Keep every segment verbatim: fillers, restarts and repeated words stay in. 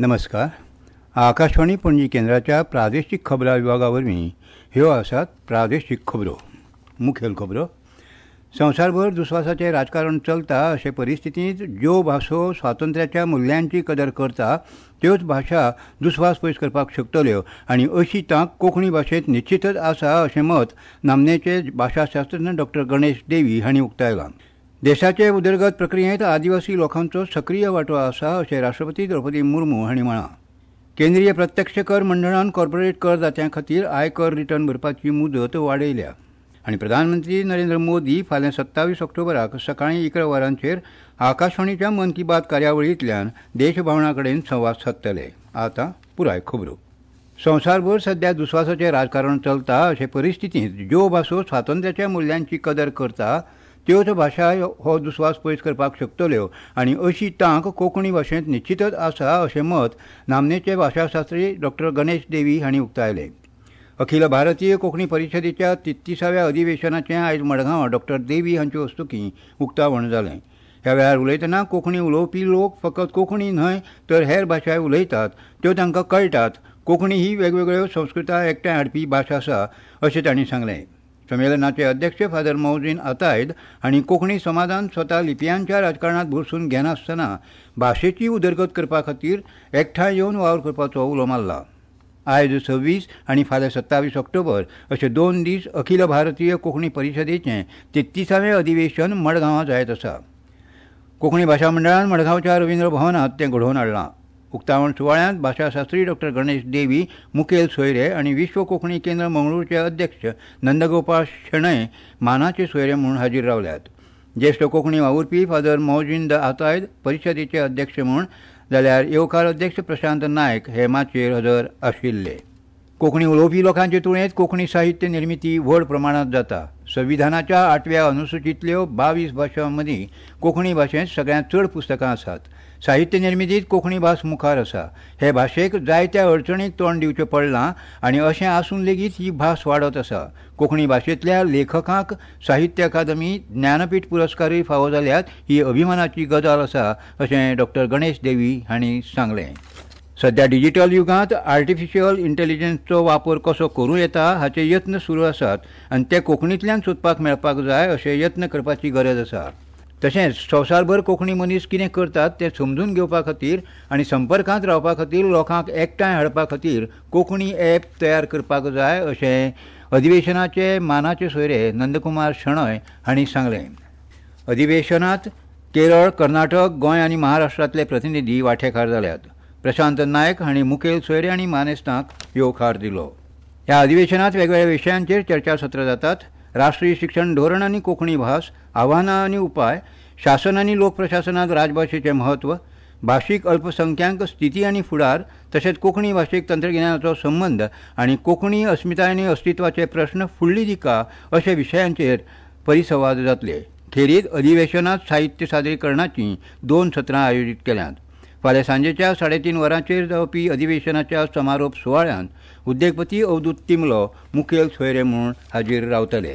नमस्कार. आकाशवाणी पणजी केंद्राच्या प्रादेशीक खबरां विभागा वरवीं ह्यो आसात प्रादेशीक खबरो. मुखेल खबरो. संवसारभर दुस्वासाचें राजकारण चलता अशे परिस्थितींत ज्यो भासो स्वातंत्र्याच्या मुल्यांची कदर करता त्योच भाशा दुस्वास पयस करपाक शकतल्यो आनी अशी तांक कोंकणी भाशेंत निश्चितच आसा अशें मत नामनेचे भाशाशास्त्रज्ञ डॉक्टर गणेश देवी हांणी उक्तायलां. देशाचे उदरगत प्रक्रियेंत आदिवासी लोकांचो सक्रीय वांटो आसा अशें राष्ट्रपती द्रौपदी मुर्मू हांणी म्हळां. केंद्रीय प्रत्यक्ष कर मंडळान कॉर्पोरेट करदात्यां खातीर आयकर रिटर्न भरपाची मुदत वाडयल्या. आनी प्रधानमंत्री नरेंद्र मोदी फाल्यां सत्तावीस ऑक्टोबराक सकाळीं इकरा वरांचेर आकाशवाणीच्या मन की बात कार्यावळींतल्यान देशभावना कडेन संवाद सादतले. आतां पुराय खबरो. संवसारभर सध्या दुस्वासाचें राजकारण चलता अशे परिस्थितींत ज्यो भासो स्वातंत्र्याच्या मुल्यांची कदर करता त्योच भाशा हो दुस्वास पयस करपाक शकतल्यो आनी अशी तांक कोंकणी भाशेंत निश्चितच आसा अशें मत नामनेचे भाशाशास्त्री डॉक्टर गणेश देवी हांणी उक्तायलें. अखिल भारतीय कोंकणी परिशदेच्या तेत्तिसाव्या अधिवेशनाचें आयज मडगांवां डॉक्टर देवी हांचे हस्तुकीं उक्तावण जालें. ह्या वेळार उलयतना कोंकणी उलोवपी लोक फकत कोंकणी न्हय तर हेर भाशाय उलयतात, त्यो तांकां कळटात. कोंकणी ही वेगवेगळ्यो संस्कृताय एकठांय हाडपी भास आसा अशें तांणी सांगलें. संमेलनाचे अध्यक्ष फादर मौजीन आतायद हांणी कोंकणी समाजान स्वता लिपयांच्या राजकारणांत भरसून घेनासतना भाशेची उदरगत करपा खातीर एकठांय येवन वावर करपाचो उलो मारला. आयज सव्वीस आनी फाल्यां सत्तावीस ऑक्टोबर अशे दोन दीस अखिल भारतीय कोंकणी परिशदेचें तेत्तिसावें अधिवेशन मडगांवां जायत आसा. कोंकणी भाशा मंडळान मडगांवच्या रवींद्र भवनांत तें घडोवन हाडलां. उक्तावण सुवाळ्यांत भाशाशास्त्री डॉक्टर गणेश देवी मुखेल सोयरे आनी विश्व कोंकणी केंद्र मंगळूरचे अध्यक्ष नंदगोपाळ शणै मानाचे सोयरे म्हूण हाजीर रावल्यात. ज्येश्ठ कोंकणी वावुरपी फादर मौजीन the Athaide परिशदेचे अध्यक्ष म्हूण जाल्यार येवकार अध्यक्ष प्रशांत नायक हे माचयेर हजर आशिल्ले. कोंकणी उलोवपी लोकांचे तुळेंत कोंकणी साहित्य निर्मिती व्हड प्रमाणांत जाता. संविधानाच्या आठव्या अनुसुचींतल्यो बावीस भाशां मदीं कोंकणी भाशेंत सगळ्यांत चड पुस्तकां आसात. साहित्य निर्मितींत कोंकणी भास मुखार आसा. हे भाशेक जायत्या अडचणीक तोंड दिवचें पडलां आनी अशें आसून लेगीत ही भास वाडत आसा. कोंकणी भाशेंतल्या लेखकांक साहित्य अकादमी, ज्ञानपीठ पुरस्कारूय फावो जाल्यात ही अभिमानाची गजाल आसा अशें डॉक्टर गणेश देवी हांणी सांगलें. सध्या डिजिटल युगांत आर्टिफिशियल इंटेलिजन्सचो वापर कसो करूं येता हाचे यत्न सुरू आसात आनी ते कोंकणींतल्यान सोदपाक मेळपाक जाय अशे यत्न करपाची गरज आसा. तशेंच संवसारभर कोंकणी मनीस कितें करतात तें समजून घेवपा खातीर आनी संपर्कांत रावपा खातीर लोकांक एकठांय हाडपा खातीर कोंकणी ॲप तयार करपाक जाय अशें अधिवेशनाचे मानाचे सोयरे नंदकुमार शणै हांणी सांगलें. अधिवेशनांत केरळ, कर्नाटक, गोंय आनी महाराष्ट्रांतले प्रतिनिधी वांटेकार जाल्यात. प्रशांत नायक हांणी मुखेल सोयरे आनी मानेस्तांक येवकार दिलो. ह्या अधिवेशनांत वेगवेगळ्या विशयांचेर चर्चासत्रां जातात. राष्ट्रीय शिक्षण धोरण आनी कोंकणी भास, आव्हानां आनी उपाय, शासन आनी लोकप्रशासनांत राजभाशेचें म्हत्व, भाशीक अल्पसंख्यांक स्थिती आनी फुडार, तशेंच कोंकणी भाशेक तंत्रगिन्यानाचो संबंद आनी कोंकणी अस्मिताय आनी अस्तित्वाचे प्रश्न फुडली दिका अशे विशयांचेर परिसंवाद जातले. खेरीत अधिवेशनांत साहित्य सादरीकरणाचीं दोन सत्रां आयोजीत केल्यांत. फाल्यां सांजेच्या साडेतीन वरांचेर जावपी अधिवेशनाच्या समारोप सुवाळ्यांत उद्देगपती अवधूत तिमलो मुखेल सोयरे म्हूण हाजीर रावतले.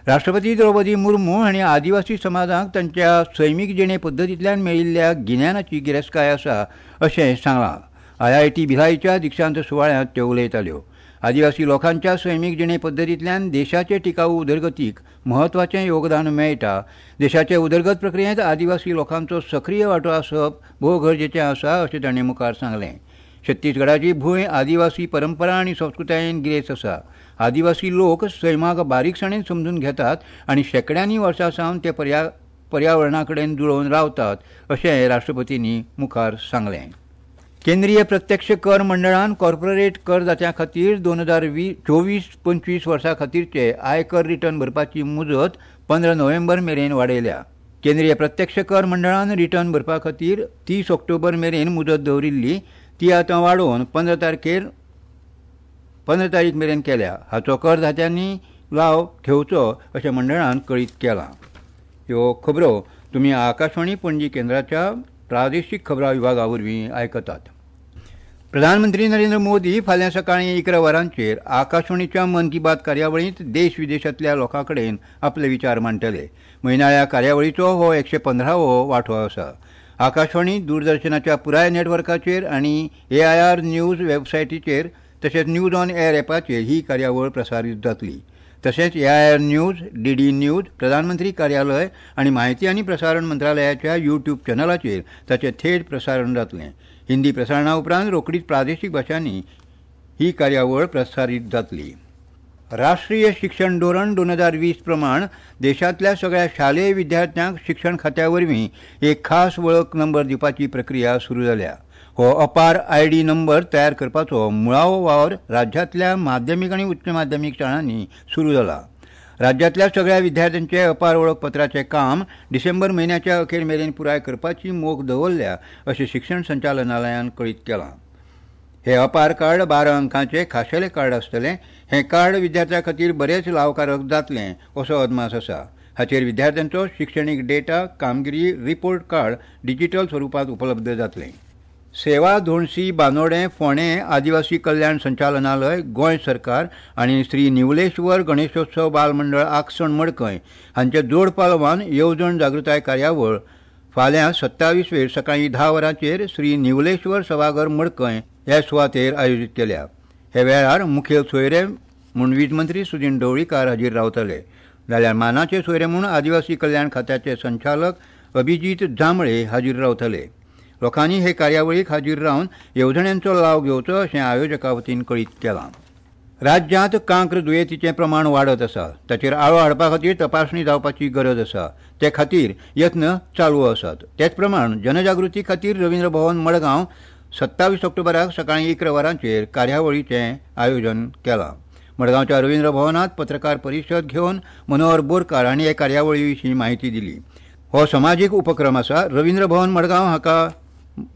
राष्ट्रपती द्रौपदी मुर्मू हांणी आदिवासी समाजाक तांच्या सैमीक जिणे पद्दतींतल्यान मेळिल्ल्या गिन्यानाची गिरेस्तकाय आसा अशें सांगलां. I I T भिलाईच्या दिक्षांत सुवाळ्यांत त्यो उलयताल्यो. आदिवासी लोकांच्या सैमीक जिणे पद्दतींतल्यान देशाचे टिकाऊ उदरगतीक म्हत्वाचें योगदान मेळटा. देशाचे उदरगत प्रक्रियेंत आदिवासी लोकांचो सक्रीय वांटो आसप भोव गरजेचें आसा अशें तांणी मुखार सांगलें. छत्तीसगडाची भूंय आदिवासी परंपरा आनी संस्कृतायेन गिरेस्त आसा. आदिवासी लोक सैमाक बारीकसाणेन समजून घेतात आनी शेंकड्यांनी वर्सां सावन ते पर्या पर्यावरणा कडेन जुळोवन रावतात अशें राष्ट्रपतींनी मुखार सांगलें. केंद्रीय प्रत्यक्ष कर मंडळान कॉर्पोरेट करदात्यां खातीर दोन हजार वीस चोवीस पंचवीस वर्सां खातीरचे आयकर रिटर्न भरपाची मुजत पंदरा नोव्हेंबर मेरेन वाडयल्या. केंद्रीय प्रत्यक्ष कर मंडळान रिटर्न भरपा खातीर तीस ऑक्टोबर मेरेन मुजत दवरिल्ली ती आतां वाडोवन पंदरा तारखेर पंदरा तारीख मेरेन केल्या. हाचो करदात्यांनी लाव घेवचो अशें मंडळान कळीत केलां. ह्यो खबरो तुमी आकाशवाणी पणजी केंद्राच्या प्रादेशीक खबरां विभागा वरवीं आयकतात. प्रधानमंत्री नरेंद्र मोदी फाल्यां सकाळीं इकरा वरांचेर आकाशवाणीच्या मन की बात कार्यावळींत देश विदेशांतल्या लोकां कडेन आपले विचार मांडटले. म्हयनाळ्या कार्यावळीचो हो एकशे पंदरावो वांटो आसा. आकाशवाणी दूरदर्शनाच्या पुराय नेटवर्काचेर आनी ए I R news वेबसायटीचेर तशेंच न्यूज ऑन एअर एपाचेर ही कार्यावळ प्रसारीत जातली. तशेंच A I R news, D D news, प्रधानमंत्री कार्यालय आनी म्हायती आनी प्रसारण मंत्रालयाच्या यूट्यूब चॅनलाचेर ताचें थेट प्रसारण जातलें. हिंदी प्रसारणा उपरांत रोखडीच प्रादेशीक भाशांनी ही कार्यावळ प्रसारीत जातली. राष्ट्रीय शिक्षण धोरण दोन हजार वीस प्रमाण देशांतल्या सगळ्या शालेय विद्यार्थ्यांक शिक्षण खात्या वरवीं एक खास वळख नंबर दिवपाची प्रक्रिया सुरू जाल्या. हो अपार I D number तयार करपाचो मुळावो वावर राज्यांतल्या माध्यमीक आनी उच्च माध्यमीक शाळांनी सुरू जाला. राज्यांतल्या सगळ्या विद्यार्थ्यांचे अपार वळखपत्राचें काम डिसेंबर म्हयन्याच्या अखेर मेरेन पुराय करपाची मोख दवरल्या अशें शिक्षण संचालनालयान कळीत केलां. हे अपार कार्ड बारा अंकांचें खाशेलें कार्ड आसतलें. हें कार्ड विद्यार्थ्यां खातीर बरेंच लावकारक जातलें असो अदमास आसा. हाचेर विद्यार्थ्यांचो शिक्षणीक डेटा, कामगिरी रिपोर्ट कार्ड डिजिटल स्वरुपांत उपलब्ध जातलें. सेवा धोणसी बांदोडें फोंडें आदिवासी कल्याण संचालनालय, गोंय सरकार आनी श्री निवलेश्वर गणेशोत्सव बाल मंडळ आकसण मडकय हांच्या जोड पालवान येवजण जागृताय कार्यावळ फाल्यां सत्तावीस वेर सकाळीं धा वरांचेर श्री निवलेश्वर सभाघर मडकय ह्या सुवातेर आयोजीत केल्या. हे वेळार मुखेल सोयरे म्हूण वीज मंत्री सुदिन ढवळीकार हाजीर रावतले, जाल्यार मानाचे सोयरे म्हूण आदिवासी कल्याण खात्याचे संचालक अभिजीत जांभळे हाजीर रावतले. लोकांनी हे कार्यावळीक हाजीर रावन येवजण्यांचो लाव घेवचो अशें आयोजकां वतीन कळीत केलां. राज्यांत कांक्र दुयेंतीचें प्रमाण वाडत आसा. ताचेर आळो हाडपा खातीर तपासणी जावपाची गरज आसा. ते खातीर यत्न चालू आसात. तेच प्रमाण जनजागृती खातीर रवींद्र भवन मडगांव सत्तावीस ऑक्टोबराक सकाळीं इकरा वरांचेर कार्यावळीचें आयोजन केलां. मडगांवच्या रवींद्र भवनांत पत्रकार परिशद घेवन मनोहर बोरकार हांणी हे कार्यावळी विशीं म्हायती दिली. हो समाजीक उपक्रम आसा. रवींद्र भवन मडगांव हाका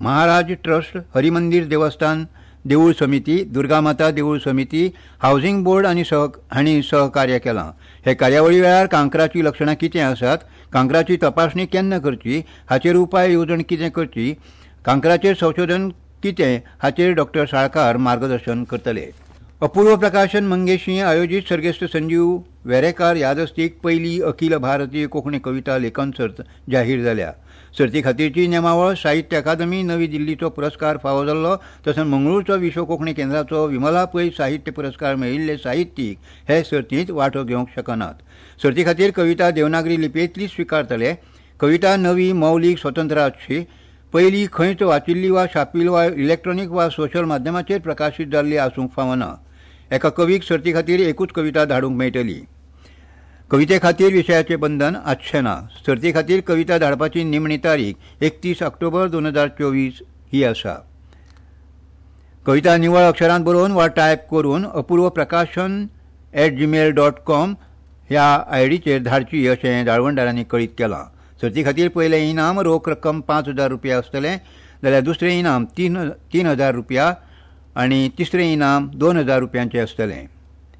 महाराज ट्रस्ट, हरिमंदिर देवस्थान देवूळ समिती, दुर्गामाता देवूळ समिती, हावसिंग बोर्ड आनी सह हांणी सहकार्य केलां. हे कार्यावळी वेळार कांक्राचीं लक्षणां कितें आसात, कांक्राची तपासणी केन्ना करची, हाचेर उपाय येवजण कितें करची, कांक्राचेर संशोधन कितें हाचेर डॉक्टर साळकार मार्गदर्शन करतले. अपूर्व प्रकाशन मंगेशी आयोजीत सर्गेस्त संजीव वेरेकार यादस्तीक पयली अखिल भारतीय कोंकणी कविता लेखन सर्त जाहीर जाल्या. सर्ती खातीरची नेमावळ साहित्य अकादमी नवी दिल्लीचो पुरस्कार फावो जाल्लो तशेंच मंगळूरचो विश्व कोंकणी केंद्राचो विमला पै साहित्य पुरस्कार मेळिल्ले साहित्यीक हे सर्तींत वांटो घेवंक शकनात. सर्ती खातीर कविता देवनागरी लिपयेंतली स्विकारतले. कविता नवी, मौलीक, स्वतंत्र आसची. पयली खंयच वाचिल्ली वा छापील वा इलेक्ट्रॉनीक वा सोशल माध्यमाचेर प्रकाशीत जाल्ली आसूंक फावना. एका कवीक सर्ती खातीर एकूच कविता धाडूंक मेळटली. कविते खातीर विशयाचें बंधन आसचें ना. सर्ती खातीर कविता धाडपाची निमणी तारीख एकतीस ऑक्टोबर दोन हजार चोवीस ही आसा. कविता निवळ अक्षरांत बरोवन वा टायप करून Apurva Prakashan at Gmail dot com ह्या आयडीचेर धाडची अशें जाळवणदारांनी कळीत केलां. सर्ती खातीर पयलें इनाम रोख रक्कम पांच हजार रुपया आसतलें, जाल्यार दुसरें इनाम तीन तीन हजार रुपया आनी तिसरें इनाम दोन हजार रुपयांचें आसतलें.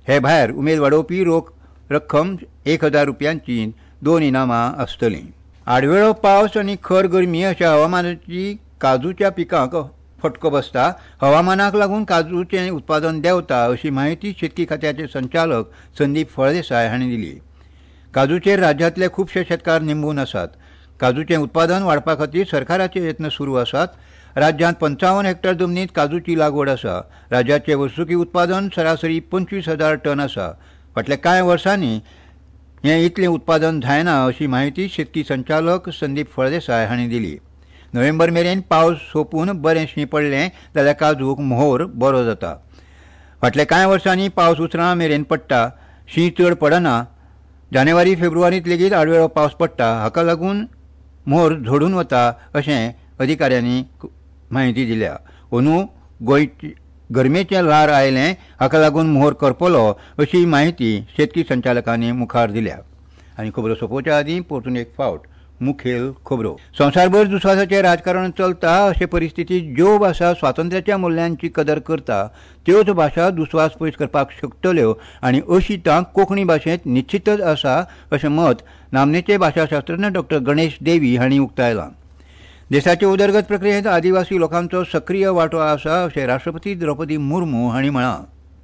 हे भायर उमेद वाडोवपी रोख रक्कम एक हजार रुपयांची दोन इनामां आसतलीं. आडवेळो पावस आनी खर गरमी अशा हवामानाची काजूच्या पिकांक फटको बसता. हवामानाक लागून काजूचें उत्पादन देंवता अशी म्हायती शेतकी खात्याचे संचालक संदीप फळदेसाय हांणी दिली. काजूचेर राज्यांतले खुबशे शेतकार निंबून आसात. काजूचें उत्पादन वाडपा खातीर सरकाराचे यत्न सुरू आसात. राज्यांत पंचावन्न हेक्टर जमनींत काजूची लागवड आसा. राज्याचें वर्सुकी उत्पादन सरासरी पंचवीस हजार टन आसा. फाटल्या कांय वर्सांनी हें इतलें उत्पादन जायना अशी म्हायती शेतकी संचालक संदीप फळदेसाय हांणी दिली. नोव्हेंबर मेरेन पावस सोंपून बरें शीं पडलें जाल्यार काजूक मोहोर बरो जाता. फाटल्या कांय वर्सांनी पावस उसरां मेरेन पडटा, शीं चड पडना. जानेवारी फेब्रुवारींत लेगीत आडवेळो पावस पडटा. हाका लागून मोर झडून वता अशें अधिकाऱ्यांनी म्हायती दिल्या. अंदू गोंयची गरमेचें ल्हार आयलें, हाका लागून मोहर करपलो अशी म्हायती शेतकी संचालकांनी मुखार दिल्या. आनी खबरो सोंपोवच्या आदीं परतून एक फावट मुखेल खबरो. संवसारभर दुस्वासाचें राजकारण चलता अशे परिस्थितींत ज्यो भाशा स्वातंत्र्याच्या मुल्यांची कदर करता त्योच भाशा दुस्वास पयस करपाक शकतल्यो आनी अशी तांक कोंकणी भाशेंत निश्चितच आसा अशें मत नामनेचे भाशाशास्त्रज्ञ डॉक्टर गणेश देवी हांणी उक्तायलां. देशाचे उदरगत प्रक्रियेंत आदिवासी लोकांचो सक्रीय वांटो आसा अशें राष्ट्रपती द्रौपदी मुर्मू हांणी म्हळां.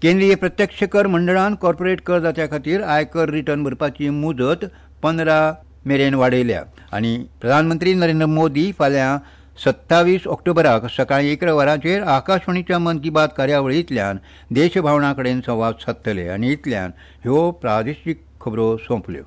केंद्रीय प्रत्यक्ष कर मंडळान कॉर्पोरेट करदात्या खातीर आयकर रिटर्न भरपाची मुजत पंदरा मेरेन वाडयल्या आनी प्रधानमंत्री नरेंद्र मोदी फाल्यां सत्तावीस ऑक्टोबराक सकाळीं इकरा वरांचेर आकाशवाणीच्या मन की बात कार्यावळींतल्यान देशभावना कडेन संवाद सादतले आनी इतल्यान ह्यो प्रादेशीक खबरो सोंपल्यो.